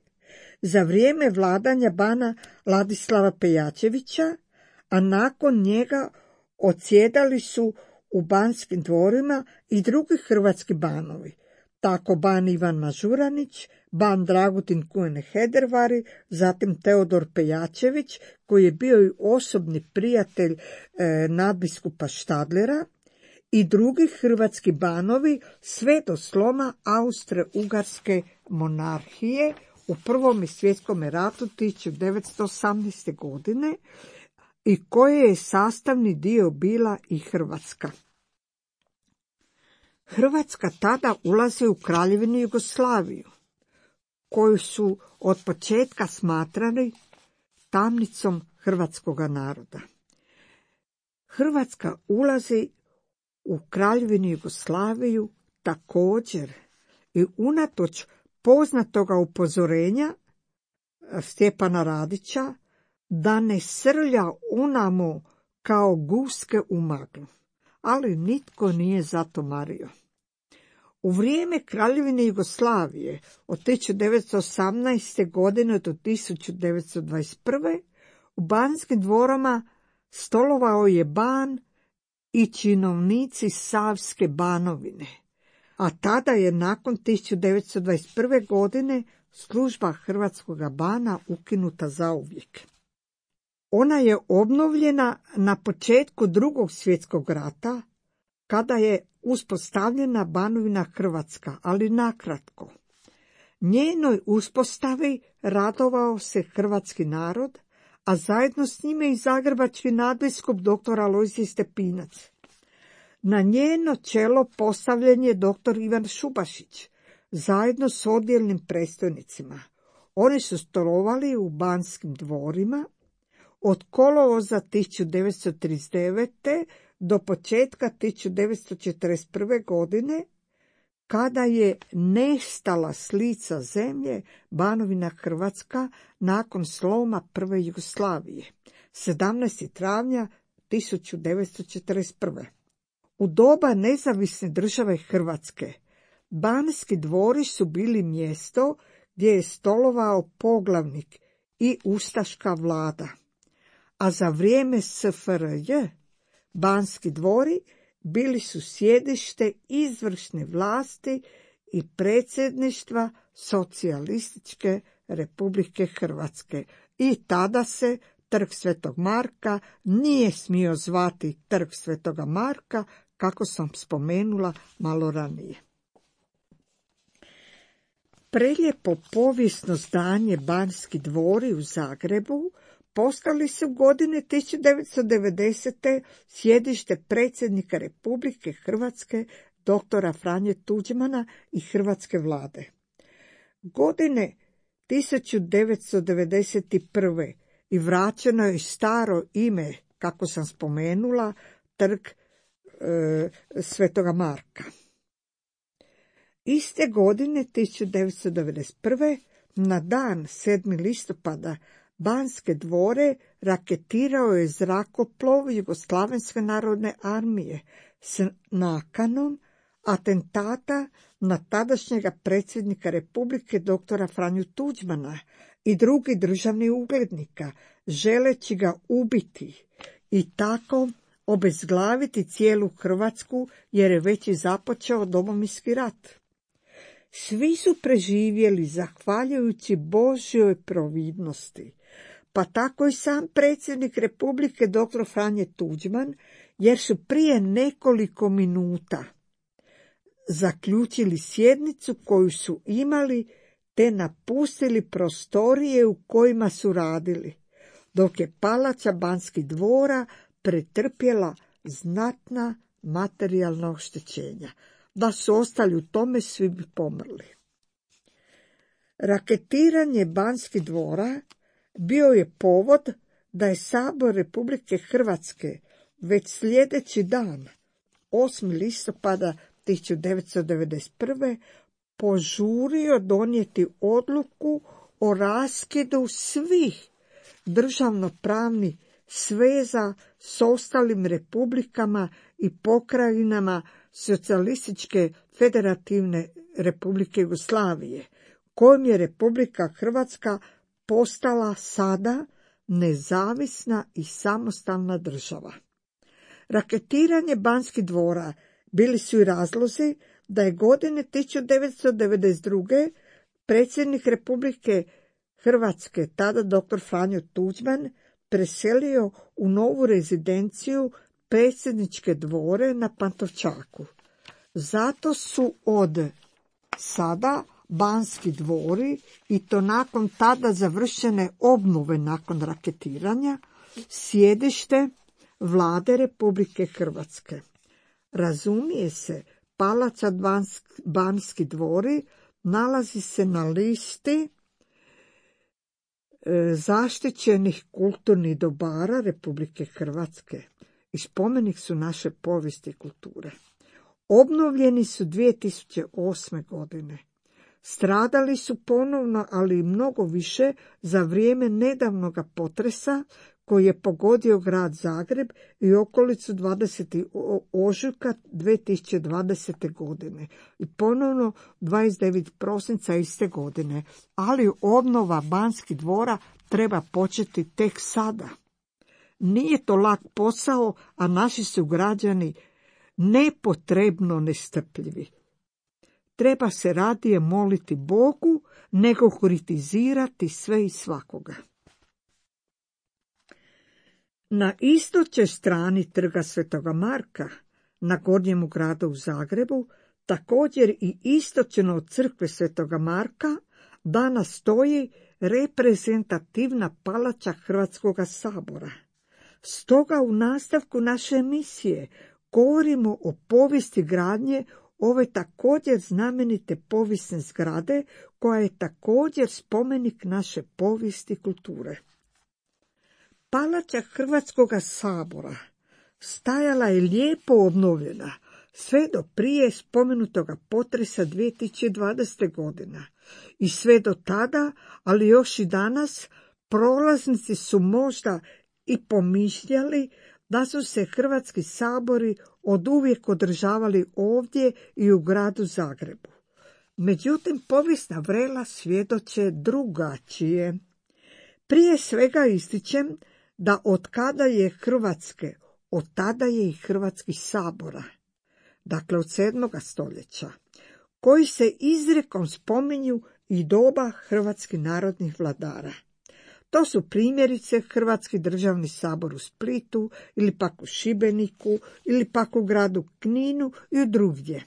Speaker 1: za vrijeme vladanja bana Ladislava Pejačevića, a nakon njega odsjedali su u Banskim dvorima i drugi hrvatski banovi. tako ban Ivan Mažuranić, ban Dragutin Kuen Hedervari, zatim Teodor Pejačević, koji je bio i osobni prijatelj e, nadbiskupa Štadlera, i drugi hrvatski banovi sve do sloma Austro-Ugarske monarhije u Prvom svjetskom ratu tisuću devetsto osamnaeste. godine i koje je sastavni dio bila i Hrvatska. Hrvatska tada ulazi u Kraljevinu Jugoslaviju, koju su od početka smatrali tamnicom hrvatskoga naroda. Hrvatska ulazi u Kraljevinu Jugoslaviju također i unatoč poznatoga upozorenja Stjepana Radića da ne srlja unamo kao guske u maglu, ali nitko nije zato mario. U vrijeme Kraljevine Jugoslavije od tisuću devetsto osamnaeste. godine do tisuću devetsto dvadeset prve. u Banskim dvorama stolovao je ban i činovnici Savske banovine, a tada je nakon tisuću devetsto dvadeset prve. godine služba hrvatskoga bana ukinuta zauvijek. Ona je obnovljena na početku Drugog svjetskog rata, kada je uspostavljena Banovina Hrvatska, ali nakratko. Njenoj uspostavi radovao se hrvatski narod, a zajedno s njime i zagrebački nadbiskup doktor Alojzije Stepinac. Na njeno čelo postavljen je doktor Ivan Šubašić, zajedno s odjelnim predstojnicima. Oni su stolovali u Banskim dvorima od kolovoza tisuću devetsto trideset devete. do početka tisuću devetsto četrdeset prve. godine, kada je nestala s lica zemlje Banovina Hrvatska nakon sloma Prve Jugoslavije, sedamnaestog travnja tisuću devetsto četrdeset prve. U doba nezavisne države Hrvatske, Banski dvori su bili mjesto gdje je stolovao poglavnik i ustaška vlada, a za vrijeme S F R J Banski dvori bili su sjedište izvršne vlasti i predsjedništva Socijalističke Republike Hrvatske i tada se Trg Svetog Marka nije smio zvati Trg Svetoga Marka, kako sam spomenula malo ranije. Prelijepo povijesno zdanje Banski dvori u Zagrebu postali su godine tisuću devetsto devedesete. sjedište predsjednika Republike Hrvatske doktora Franje Tuđmana i hrvatske vlade. Godine tisuću devetsto devedeset prve. i vraćeno je staro ime, kako sam spomenula, Trg e, Svetoga Marka. Iste godine tisuću devetsto devedeset prve. na dan sedmog listopada Banske dvore raketirao je zrakoplov Jugoslavenske narodne armije s nakanom atentata na tadašnjega predsjednika Republike doktora Franju Tuđmana i drugi državni uglednika, želeći ga ubiti i tako obezglaviti cijelu Hrvatsku, jer je već i započeo Domovinski rat. Svi su preživjeli zahvaljujući Božjoj providnosti, pa tako i sam predsjednik Republike doktor Franje Tuđman, jer su prije nekoliko minuta zaključili sjednicu koju su imali te napustili prostorije u kojima su radili, dok je palača Banskih dvora pretrpjela znatna materijalna oštećenja. Da su ostali u tome, svi bi pomrli. Raketiranje Banskih dvora bio je povod da je Sabor Republike Hrvatske već sljedeći dan, osmog listopada tisuću devetsto devedeset prve. požurio donijeti odluku o raskidu svih državnopravnih sveza s ostalim republikama i pokrajinama Socijalističke federativne Republike Jugoslavije, kojom je Republika Hrvatska postala sada nezavisna i samostalna država. Raketiranje Banskih dvora bili su i razlozi da je godine tisuću devetsto devedeset druge predsjednik Republike Hrvatske, tada doktor Franjo Tuđman, preselio u novu rezidenciju predsjedničke dvore na Pantovčaku. Zato su od sada Banski dvori, i to nakon tada završene obnove nakon raketiranja, sjedište vlade Republike Hrvatske. Razumije se, palac Banski dvori nalazi se na listi zaštićenih kulturnih dobara Republike Hrvatske i spomenik su naše povijesti i kulture. Obnovljeni su dvije tisuće osme. godine. Stradali su ponovno, ali i mnogo više, za vrijeme nedavnog potresa koji je pogodio grad Zagreb i okolicu dvadesetog ožujka dvije tisuće dvadesete. godine i ponovno dvadeset devetog prosinca iste godine, ali obnova Banskih dvora treba početi tek sada. Nije to lak posao, a naši su građani nepotrebno nestrpljivi. Treba se radije moliti Bogu nego kritizirati sve i svakoga. Na istočnoj strani trga Svetoga Marka, na Gornjemu gradu u Zagrebu, također i istočno od crkve Svetoga Marka, danas stoji reprezentativna palača Hrvatskog sabora. Stoga u nastavku naše emisije govorimo o povijesti gradnje ove također znamenite povijesne zgrade, koja je također spomenik naše povijesti i kulture. Palača Hrvatskog sabora stajala je lijepo obnovljena sve do prije spomenutoga potresa dvije tisuće dvadesete. godine i sve do tada, ali još i danas, prolaznici su možda i pomišljali da su se Hrvatski sabori oduvijek održavali ovdje i u gradu Zagrebu. Međutim, povijesna vrela svjedoče drugačije. Prije svega ističem da od kada je Hrvatske, od tada je i Hrvatskih sabora, dakle od sedmoga stoljeća, koji se izrekom spominju i doba hrvatskih narodnih vladara. To su primjerice Hrvatski državni sabor u Splitu, ili pak u Šibeniku, ili pak u gradu Kninu i drugdje.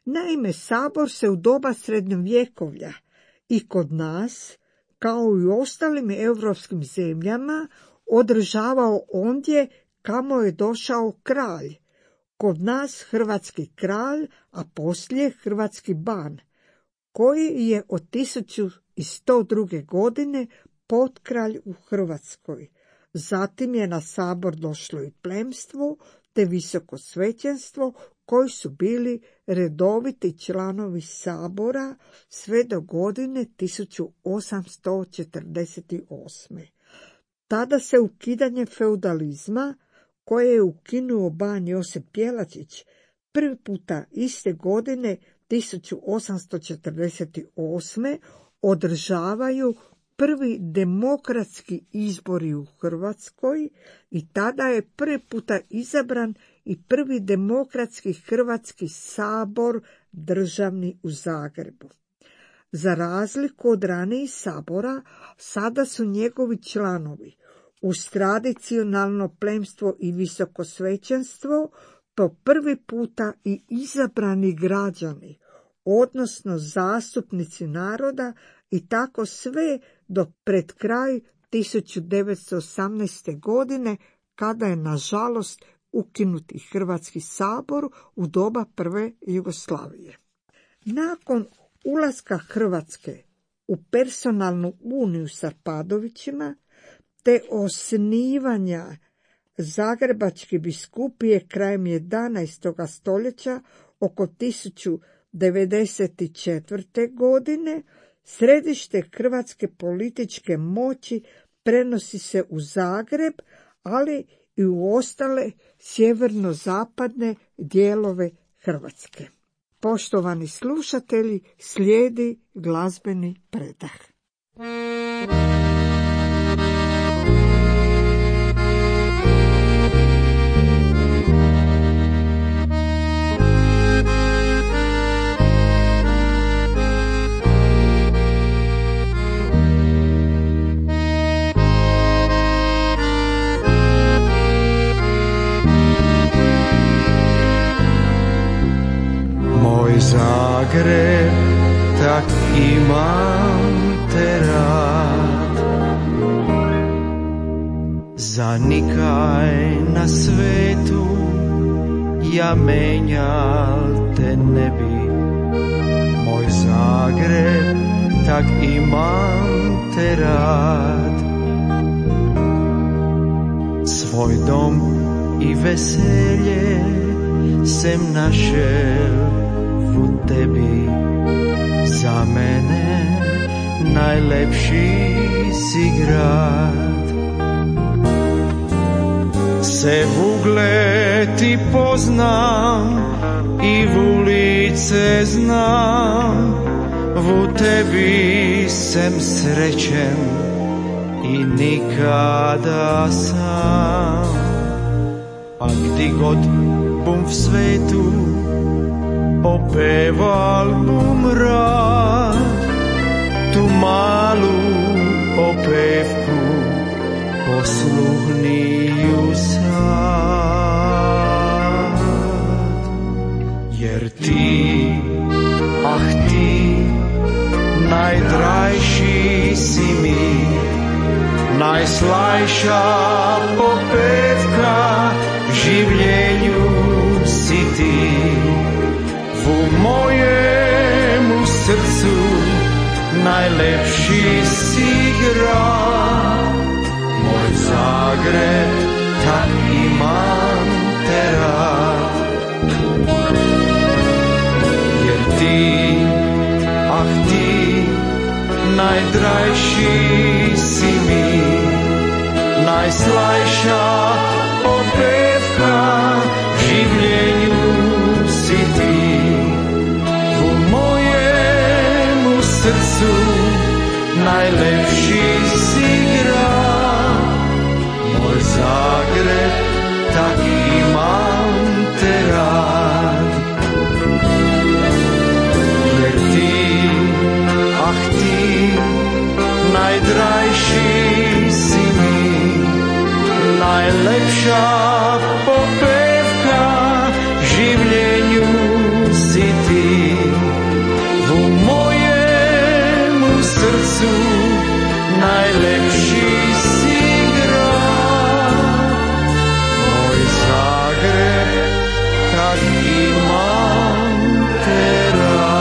Speaker 1: Naime, sabor se u doba srednjovjekovlja i kod nas, kao i u ostalim europskim zemljama, održavao ondje kamo je došao kralj. Kod nas hrvatski kralj, a poslije hrvatski ban, koji je od tisuću sto druge. godine potkralj u Hrvatskoj. Zatim je na sabor došlo i plemstvo te visoko svećenstvo, koji su bili redoviti članovi sabora sve do godine tisuću osamsto četrdeset osme. Tada se ukidanje feudalizma, koje je ukinuo ban Josip Jelačić, prvi puta iste godine tisuću osamsto četrdeset osme. održavaju prvi demokratski izbori u Hrvatskoj i tada je prvi puta izabran i prvi demokratski Hrvatski sabor državni u Zagrebu. Za razliku od ranijih sabora, sada su njegovi članovi uz tradicionalno plemstvo i visoko svećenstvo po prvi puta i izabrani građani, odnosno zastupnici naroda, i tako sve do pred kraj tisuću devetsto osamnaeste. godine, kada je nažalost ukinuti Hrvatski sabor u doba prve Jugoslavije. Nakon ulaska Hrvatske u personalnu uniju s Arpadovićima te osnivanja Zagrebačke biskupije krajem jedanaestog. stoljeća oko tisuću devedeset četvrte. godine, središte hrvatske političke moći prenosi se u Zagreb, ali i u ostale sjeverno-zapadne dijelove Hrvatske. Poštovani slušatelji, slijedi glazbeni predah.
Speaker 4: Moj Zagreb, tak imam te rad. Za nikaj na svetu ja menjal te ne bi. Moj Zagreb, tak imam te rad. Svoj dom i veselje sem našel u tebi. Za mene najlepši si grad. Se v ugled ti poznam i v ulice znam. V tebi sem srećen i nikada sam. A gdje god bum v svetu opeval bum rad. Tu malu opevku posluhniju sad. Jer ti, ah ti, najdrajši si mi, najslajša popevka življenju si ti. U mojemu srcu najlepši si grad. Moj Zagreb, tak imam te rad. Jer ti, ah ti, najdrajši si mi, najslajša opevka življenju si ti. U mojemu srcu najlepši si grad. Moj Zagreb, tak imam te rad. Jer ti, ah ti, najdrajši si mi, najlepša popevka življenju si ti. U mojemu srcu najlepši si grad. Moj Zagreb, tak imam te rad.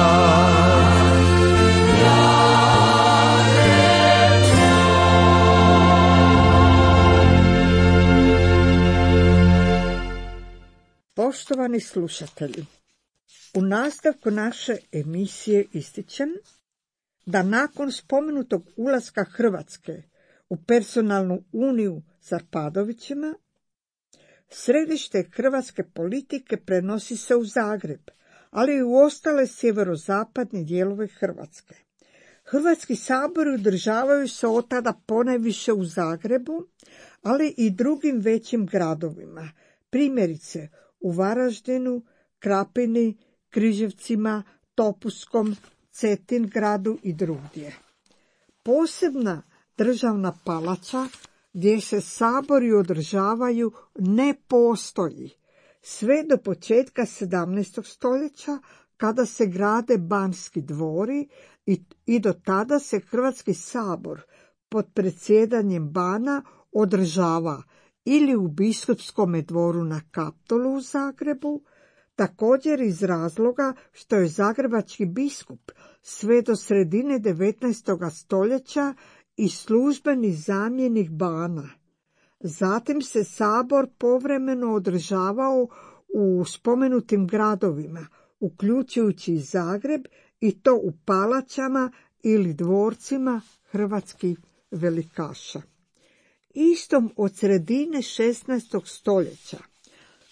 Speaker 1: Poštovani slušatelji, u nastavku naše emisije ističem da nakon spomenutog ulaska Hrvatske u personalnu uniju s Arpadovićima, središte hrvatske politike prenosi se u Zagreb, ali i u ostale sjeverozapadne dijelove Hrvatske. Hrvatski sabori održavaju se od tada ponajviše u Zagrebu, ali i drugim većim gradovima, primjerice u Varaždinu, Krapini, Križevcima, Topuskom, Cetingradu i drugdje. Posebna državna palača gdje se sabori održavaju ne postoji sve do početka sedamnaestog stoljeća, kada se grade Banski dvori i, i do tada se Hrvatski sabor pod predsjedanjem bana održava ili u Biskupskom dvoru na Kaptolu u Zagrebu, također iz razloga što je zagrebački biskup sve do sredine devetnaestog stoljeća i službeni zamjenik bana. Zatim se sabor povremeno održavao u spomenutim gradovima, uključujući i Zagreb, i to u palačama ili dvorcima hrvatskih velikaša. Istom od sredine šesnaestog stoljeća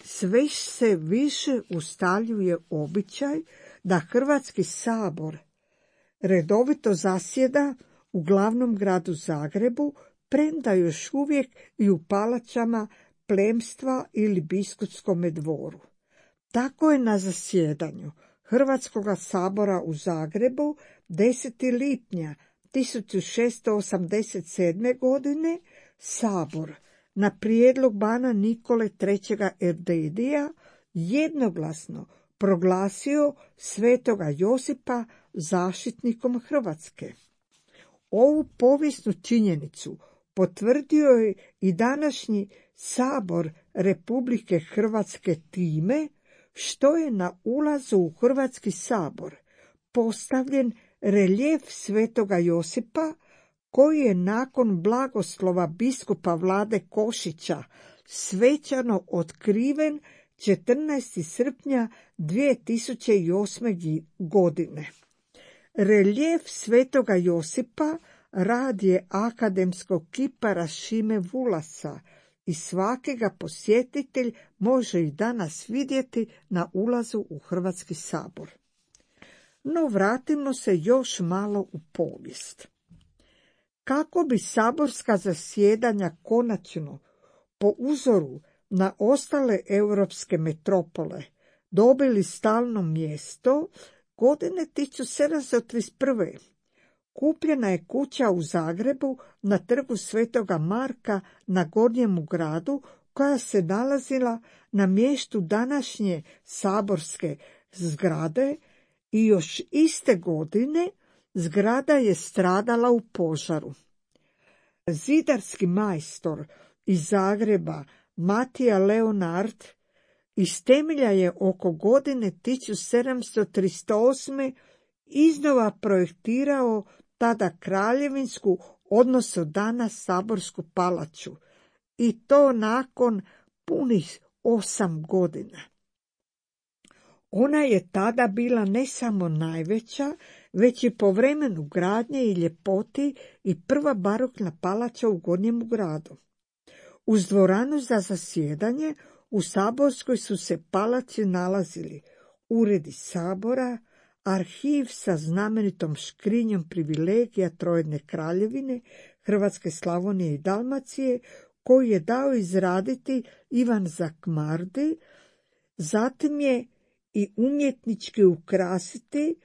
Speaker 1: sve se više ustaljuje običaj da Hrvatski sabor redovito zasjeda u glavnom gradu Zagrebu, premda još uvijek i u palačama plemstva ili biskupskom dvoru. Tako je na zasjedanju Hrvatskoga sabora u Zagrebu desetog lipnja tisuću šesto osamdeset sedme. godine sabor na prijedlog bana Nikole trećeg Erdedija jednoglasno proglasio svetoga Josipa zaštitnikom Hrvatske. Ovu povijesnu činjenicu potvrdio je i današnji Sabor Republike Hrvatske time što je na ulazu u Hrvatski sabor postavljen reljef svetoga Josipa koji je nakon blagoslova biskupa Vlade Košića svečano otkriven četrnaestog srpnja dvije tisuće osme. godine. Reljef svetoga Josipa rad je akademskog kipara Šime Vulasa i svaki ga posjetitelj može i danas vidjeti na ulazu u Hrvatski sabor. No vratimo se još malo u povijest. Kako bi saborska zasjedanja konačno, po uzoru na ostale europske metropole, dobili stalno mjesto, godine tisuću sedamsto trideset prve. kupljena je kuća u Zagrebu na trgu Svetoga Marka na Gornjemu gradu, koja se nalazila na mjestu današnje saborske zgrade i još iste godine zgrada je stradala u požaru. Zidarski majstor iz Zagreba Matija Leonard iz temelja je oko godine tisuću sedamsto trideset osme. iznova projektirao tada kraljevinsku, odnosno danas saborsku palaču, i to nakon punih osam godina. Ona je tada bila ne samo najveća, već i po vremenu gradnje i ljepoti i prva barokna palača u Gornjemu gradu. Uz dvoranu za zasjedanje u saborskoj su se palači nalazili uredi sabora, arhiv sa znamenitom škrinjom privilegija Trojedne kraljevine, Hrvatske, Slavonije i Dalmacije, koju je dao izraditi Ivan Zakmardi, zatim je i umjetnički ukrasiti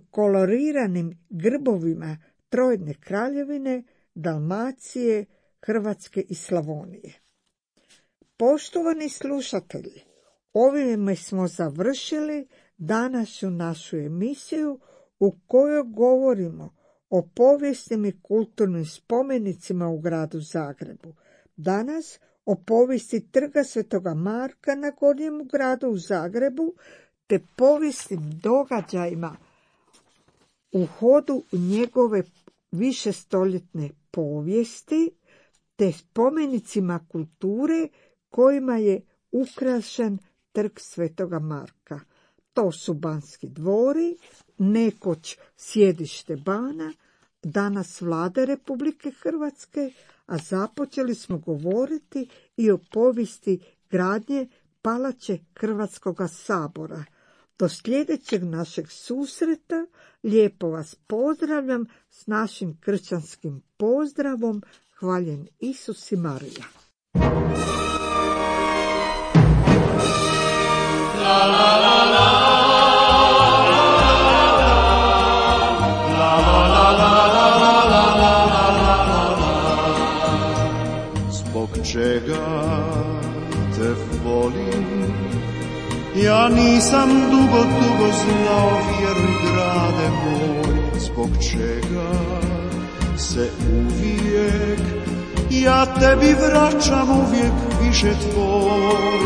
Speaker 1: koloriranim grbovima Trojedne kraljevine, Dalmacije, Hrvatske i Slavonije. Poštovani slušatelji, ovime smo završili današnju našu emisiju u kojoj govorimo o povijesnim i kulturnim spomenicima u gradu Zagrebu. Danas o povijesti trga Svetoga Marka na Gornjemu gradu u Zagrebu, te povijesnim događajima u hodu njegove višestoljetne povijesti, te spomenicima kulture kojima je ukrašen trg Svetoga Marka. To su Banski dvori, nekoć sjedište bana, danas Vlade Republike Hrvatske, a započeli smo govoriti i o povijesti gradnje palače Hrvatskoga sabora. Do sljedećeg našeg susreta lijepo vas pozdravljam s našim kršćanskim pozdravom. Hvaljen Isus i Marija. La, la, la, la.
Speaker 4: Čega te volim, ja nisam dugo, dugo znao, vjeruj grade moj, zbog čega se uvijek ja tebi vraćam uvijek više tvoj,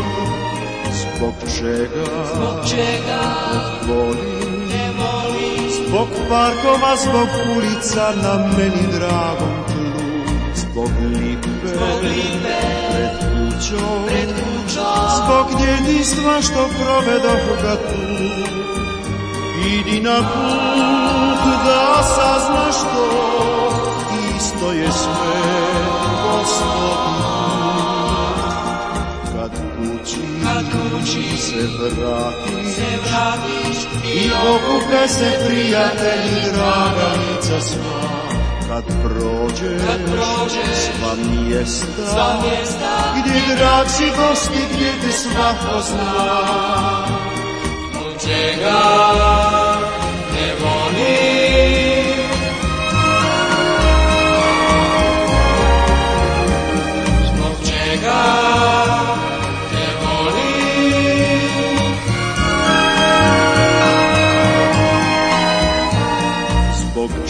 Speaker 4: zbog čega,
Speaker 5: zbog čega
Speaker 4: te volim,
Speaker 5: te volim,
Speaker 4: zbog parkova, zbog ulica na meni dragom tlu, zbog lipe,
Speaker 5: zbog lipe
Speaker 4: pred kućom,
Speaker 5: pred kućom,
Speaker 4: zbog djetinjstva što provedoh ga tu. Idi na put da saznaš to, isto je sve Gospodin put. Kad kući,
Speaker 5: kad kući
Speaker 4: se vratiš,
Speaker 5: se vratiš
Speaker 4: i okupe se prijatelji, draga lica sva. Kad prođeš,
Speaker 5: kad prođeš
Speaker 4: sva mjesta,
Speaker 5: sva mjesta
Speaker 4: gdje drag si gosti, gdje te svako zna.
Speaker 5: Zbog čega te volim, zbog čega te volim,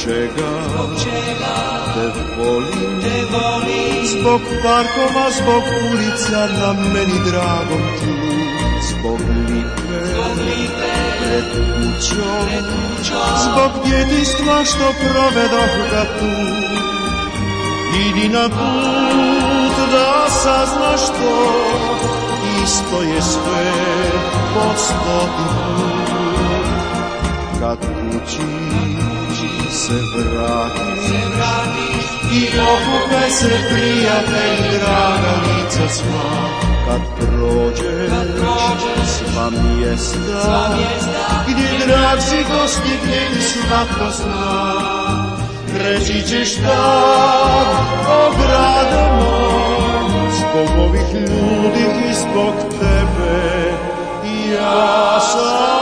Speaker 4: čega,
Speaker 5: zbog čega
Speaker 4: te volim,
Speaker 5: te volim,
Speaker 4: zbog parkova, zbog ulica na meni dragom tlu, zbog lipe,
Speaker 5: zbog lipe,
Speaker 4: pred kućom,
Speaker 5: pred kućom,
Speaker 4: zbog djetinjstva što provedoh ga tu. Idi na put da saznaš to, isto je sve po stoti put. Kad kući se vratiš,
Speaker 5: se vratiš
Speaker 4: i okupe se prijatelj, draga lica sva. Kad prođeš,
Speaker 5: kad prođeš
Speaker 4: sva mjesta,
Speaker 5: sva mjesta
Speaker 4: gdje drag si dostignjen svatko zna. Reći ćeš tak, o grade moj, zbog ovih ljudi i zbog tebe, ja sam